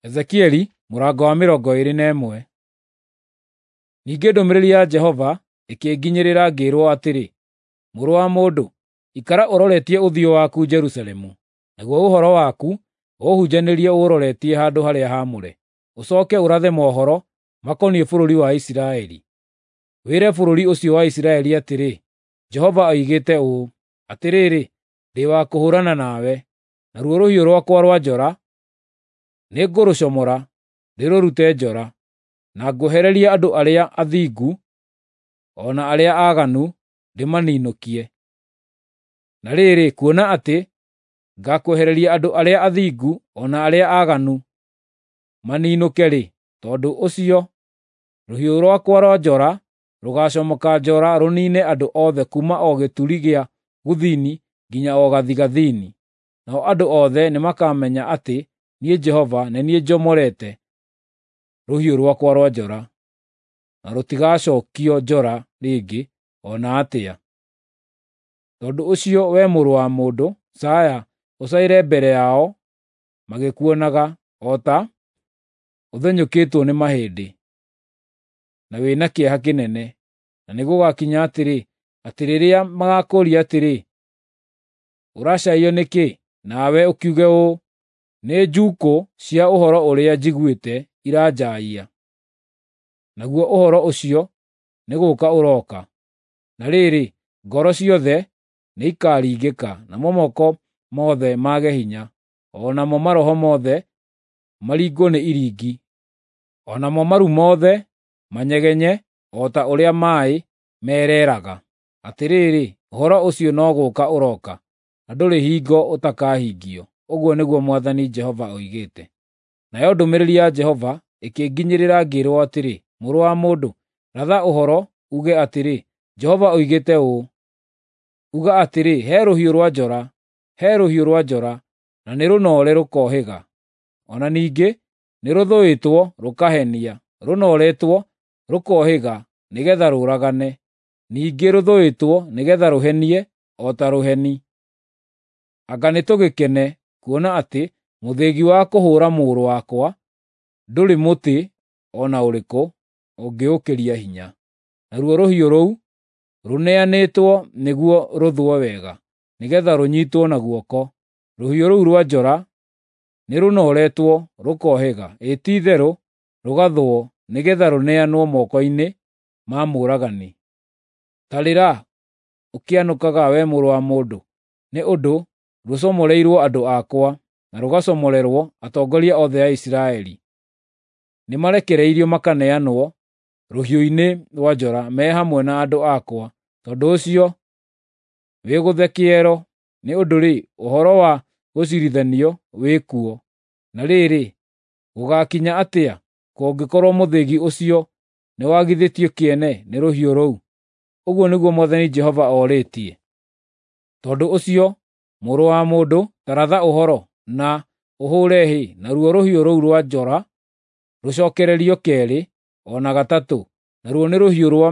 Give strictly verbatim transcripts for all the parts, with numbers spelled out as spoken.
Ezekieli mũrango wa mĩrongo ĩĩrĩ na ĩmwe. Ningĩ ndũmĩrĩri ya Jehova ĩkĩnginyĩrĩra ngĩĩrwo atĩrĩ, Mũrũ wa mũndũ, ikara ũroretie ũthiũ waku Jerusalemu, naguo ũhoro waku ũũhunjanĩrie ũũroretie handũ harĩa haamũre. Ũcooke ũrathe mohoro makoniĩ bũrũri wa Isiraeli. Wĩre bũrũri ũcio wa Isiraeli atĩrĩ, Jehova oigĩte ũũ: Atĩrĩrĩ, ndĩ wa kũhũũrana nawe, naruo rũhiũ rwakwa rwa njora nĩngũrũcomora ndĩrũrute njora, na ngwehererie andũ arĩa athingu o na arĩa aaganu ndĩmaninũkie. Na rĩrĩ, kuona atĩ ngaakwehereria andũ arĩa athingu o na arĩa aaganu maninũke-rĩ, tondũ ũcio rũhiũ rwakwa rwa njora rũgaacomoka njora rũniine andũ othe kuuma o gĩturi gĩa gũthini nginya o gathigathini. Nao andũ othe nĩmakamenya atĩ niĩ Jehova nĩ niĩ njomorete rũhiũ rwakwa rwa njora, na rũtigacookio njora rĩngĩ o na atĩa. Tondũ ũcio, wee mũrũ wa mũndũ, caaya, ũcaĩre mbere yao magĩkuonaga, o ta ũthenyũkĩtwo nĩ mahĩndĩ, na wĩ na kĩeha kĩnene. Na nĩgũgakinya atĩrĩ, atĩ rĩrĩa magaakũũria atĩrĩ, ‘Ũracaĩio nĩkĩ?’ Nawe ũkiuge ũũ, ‘Nĩ njuukũ cia ũhoro ũrĩa njiguĩte iranjaaia.’ Naguo ũhoro ũcio nĩ gũũka ũroka. Na rĩrĩ, ngoro ciothe nĩikaringĩka, namo moko mothe mage hinya, o namo maroho mothe maringwo nĩ iringi, o namo maru mothe manyegenye o ta ũrĩa maaĩ mereeraga. Atĩrĩrĩ, ũhoro ũcio no gũũka ũroka, na ndũrĩ hingo ũtakahingio, ũguo nĩguo Mwathani Jehova oigĩte. Nayo ndũmĩrĩri ya Jehova ĩkĩnginyĩrĩra ngĩĩrwo atĩrĩ, Mũrũ wa mũndũ, ratha ũhoro uuge atĩrĩ, Jehova oigĩte ũũ: Uga atĩrĩ, ‘He rũhiũ rwa njora, he rũhiũ rwa njora, na nĩrũnoore rũkohĩga. O na ningĩ nĩrũthũĩtwo rũkahenia, rũnooretwo rũkohĩga nĩgeetha rũũragane, ningĩ rũthũĩtwo nĩgeetha rũhenie o ta rũheni. Anga nĩtũgĩkene kuona atĩ mũthĩgi wa kũhũũra mũrũ wakwa ndũrĩ mũtĩ o na ũrĩkũ ũngĩũkĩria hinya, naruo rũhiũ rũu rũneanĩtwo nĩguo rũthwo wega, nĩgeetha rũnyiitwo na guoko. Rũhiũ rũu rwa njora nĩrũnooretwo rũkohĩga, ĩ ti-itherũ rũgathwo nĩgeetha rũneanwo moko-inĩ ma mũũragani. Ta rĩra ũkĩanũkaga, wee mũrũ wa mũndũ, nĩ ũndũ rũcomoreirwo andũ akwa, na rũgacomorerwo atongoria othe a Isiraeli. Nĩmarekereirio makaneanwo rũhiũ-inĩ rwa njora me hamwe na andũ akwa. Tondũ ũcio wĩgũthe kĩero, nĩ ũndũ-rĩ, ũhoro wa gũciirithanio wĩ kuo. Na rĩrĩ, gũgaakinya atĩa kũngĩkorwo mũthĩgi ũcio nĩwagithĩtio kĩene nĩ rũhiũ rũu? Ũguo nĩguo Mwathani Jehova orĩtie. Tondũ ũcio, mũrũ wa mũndũ, ta ratha ũhoro na ũhũũre hĩ, naruo rũhiũ rũu rwa njora rũcookererio keerĩ o na gatatũ, naruo nĩ rũhiũ rwa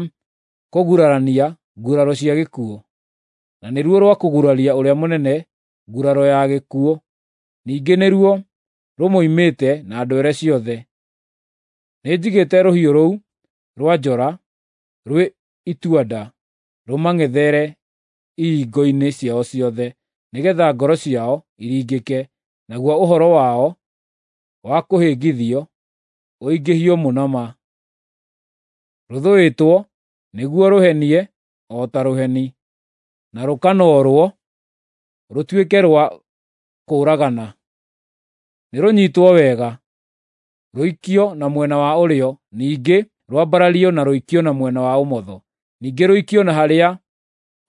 kũgurarania nguraro cia gĩkuũ, na nĩruo rwa kũguraria ũrĩa mũnene nguraro ya gĩkuũ, ningĩ nĩruo rũmoimĩte na ndwere ciothe. Nĩnjigĩte rũhiũ rũu rwa njora rwĩ itua-nda rũmang'ethere ihingo-inĩ ciao ciothe, nĩgeetha ngoro ciao iringĩke, naguo ũhoro wao wa kũhĩngithio ũingĩhio mũno ma. Rũthũĩtwo nĩguo rũhenie o ta rũheni, na rũkanoorwo rũtuĩke rwa kũũragana. Nĩrũnyiitwo wega, rũikio na mwena wa ũrĩo, ningĩ rwambarario na rũikio na mwena wa ũmotho, ningĩ rũikio na harĩa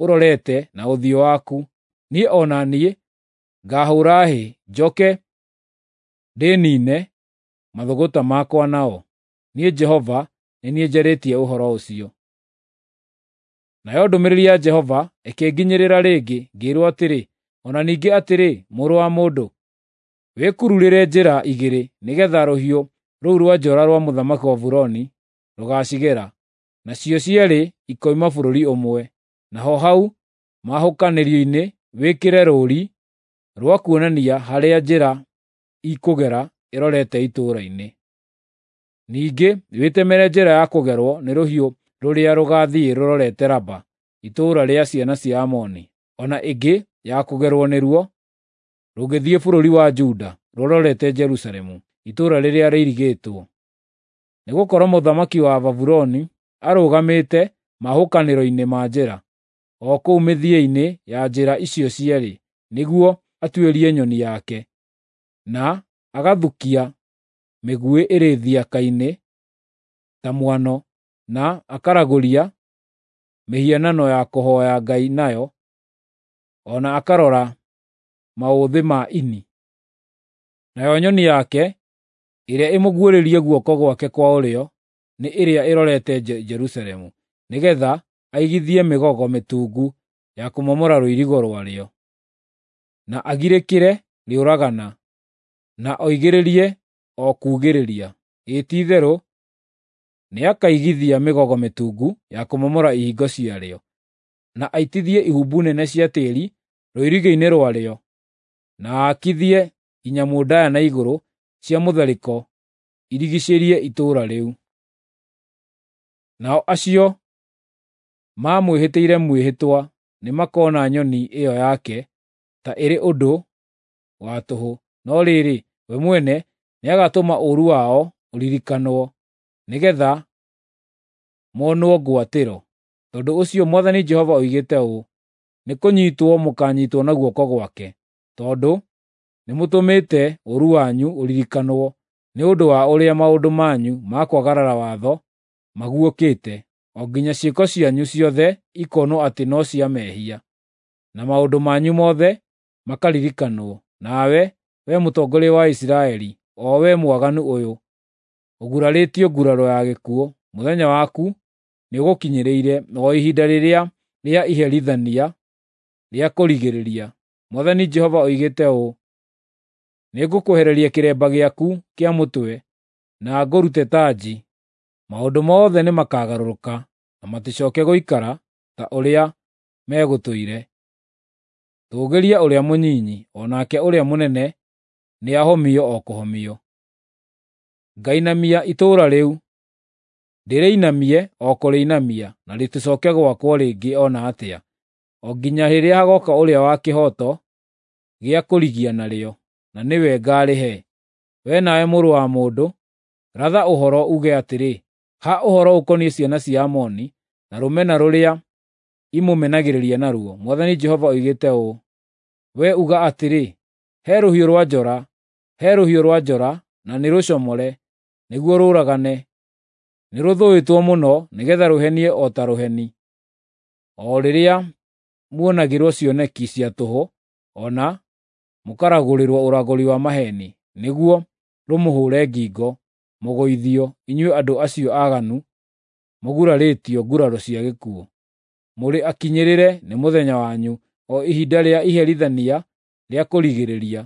ũrorete na ũthiũ waku. Niĩ o na niĩ ngaahũũra hĩ, njooke ndĩniine mathũgũta makwa nao. Niĩ Jehova nĩ niĩ njarĩtie ũhoro ũcio. Nayo ndũmĩrĩri ya Jehova ĩkĩnginyĩrĩra rĩngĩ, ngĩĩrwo atĩrĩ, O na ningĩ atĩrĩ, mũrũ wa mũndũ, wĩkururĩre njĩra igĩrĩ nĩgeetha rũhiũ rũu rwa njora rwa mũthamaki wa Babuloni rũgaacigera, nacio cierĩ ikoima bũrũri ũmwe. Naho hau mahũkanĩrio-inĩ wĩkĩre rũũri rwa kuonania harĩa njĩra ikũgera ĩrorete itũũra-inĩ. Ningĩ wĩtemere njĩra ya kũgerwo nĩ rũhiũ rũrĩa rũgaathiĩ rũrorete Raba, itũũra rĩa ciana cia Amoni, o na ĩngĩ ya kũgerwo nĩruo rũgĩthiĩ bũrũri wa Juda rũrorete Jerusalemu, itũũra rĩrĩa rĩirigĩtwo. Nĩgũkorwo mũthamaki wa Babuloni arũgamĩte mahukanĩro-inĩ ma njĩra, o kũu mĩthia-inĩ ya njĩra icio cierĩ, nĩguo atuĩrie nyoni yake, na agathukia mĩguĩ ĩrĩ thiaka-inĩ ta mwano, na akaragũria mĩhianano ya kũhooya ngai nayo, o na akarora maũthĩ ma ini. Nayo nyoni yake ĩrĩa ĩmũguũrĩirie guoko gwake kwa ũrĩo nĩ ĩrĩa ĩrorete Jerusalemu, nĩgeetha aigithie mĩgogo mĩtungu ya kũmomora rũirigo rwarĩo, na agirĩkĩre rĩũragana, na oigĩrĩrie o kuugĩrĩria. Ĩĩ ti-itherũ nĩakaigithia mĩgogo mĩtungu ya kũmomora ihingo ciarĩo, na aitithie ihumbu nene cia tĩĩri rũirigo-inĩ rwarĩo, na aakithie inyamũ ndaaya na igũrũ cia mũtharĩko irigiicĩrie itũũra rĩu. Nao acio maamwĩhĩtĩire mwĩhĩtwa nĩmakona nyoni ĩyo yake ta ĩrĩ ũndũ wa tũhũ, no rĩrĩ, we mwene nĩagatũma ũũru wao ũririkanwo, nĩgeetha monwo ngwatĩro. Tondũ ũcio Mwathani Jehova oigĩte ũũ: Nĩkũnyiitwo mũkaanyiitwo na guoko gwake, tondũ nĩmũtũmĩte ũũru wanyu ũririkanwo nĩ ũndũ wa ũrĩa maũndũ manyu ma kwagarara watho maguũkĩte, o nginya ciĩko cianyu ciothe ikonwo atĩ no cia mehia, na maũndũ manyu mothe makaririkanwo. Nawe, wee mũtongoria wa Isiraeli, o wee mwaganu ũyũ, ũgurarĩtio nguraro ya gĩkuũ, mũthenya waku nĩũgũkinyĩrĩire, o ihinda rĩrĩa rĩa iherithania rĩa kũrigĩrĩria. Mwathani Jehova oigĩte ũũ: Nĩngũkwehereria kĩremba gĩaku kĩa mũtwe na ngũrute tanji. Maũndũ mothe nĩmakagarũrũka na maticooke gũikara ta ũrĩa megũtũire. Tũũgĩria ũrĩa mũnyinyi, o nake ũrĩa mũnene nĩahomio o kũhomio. Ngainamia itũũra rĩu, ndĩrĩinamie o kũrĩinamia, na rĩticooke gwakwo rĩngĩ o na atĩa, o nginya rĩrĩa hagooka ũrĩa wa kĩhooto gĩa kũrigia narĩo, na nĩwe ngaarĩhe. Wee nawe mũrũ wa mũndũ, ratha ũhoro uuge atĩrĩ, ha ũhoro ũkoniĩ ciana cia Amoni na rũmena rũrĩa imũmenagĩrĩria naruo, Mwathani Jehova oigĩte ũũ: Wee uga atĩrĩ, ‘He rũhiũ rwa njora, he rũhiũ rwa njora, na nĩrũcomore, nĩguo rũũragane. Nĩrũthũĩtwo mũno nĩgeetha rũhenie o ta rũheni.’ O rĩrĩa muonagĩrwo cioneki cia tũhũ, o na mũkaragũrĩrwo ũragũri wa maheeni, nĩguo rũmũhũũre ngingo, mũgũithio, inyuĩ andũ acio aaganu mũgurarĩtio nguraro cia gĩkuũ. Mũrĩ akinyĩrĩre nĩ mũthenya wanyu, o ihinda rĩa iherithania rĩa kũrigĩrĩria.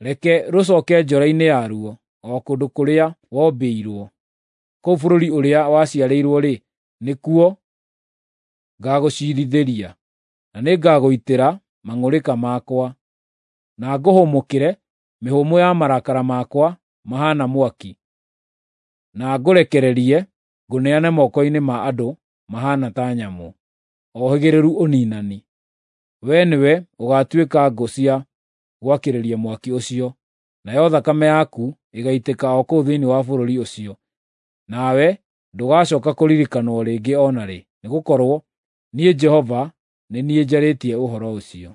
Reke rũcooke njora-inĩ yaruo, o kũndũ kũrĩa wombĩirwo. Kũu bũrũri ũrĩa waciarĩirwo-rĩ, nĩkuo ngaagũciirithĩria, na nĩngagũitĩra mang'ũrĩka makwa, na ngũhũmũkĩre mĩhũmũ ya marakara makwa mahaana mwaki, na ngũrekererie ngũneane moko-inĩ ma andũ mahaana ta nyamũ, ohĩgĩrĩru ũniinani. Wee nĩwe ũgaatuĩka ngũ cia gwakĩrĩria mwaki ũcio, nayo thakame yaku ĩgaitĩka o kũu thĩinĩ wa bũrũri ũcio, nawe ndũgacooka kũririkanwo rĩngĩ o na rĩ, nĩgũkorwo niĩ Jehova nĩ niĩ njarĩtie ũhoro ũcio.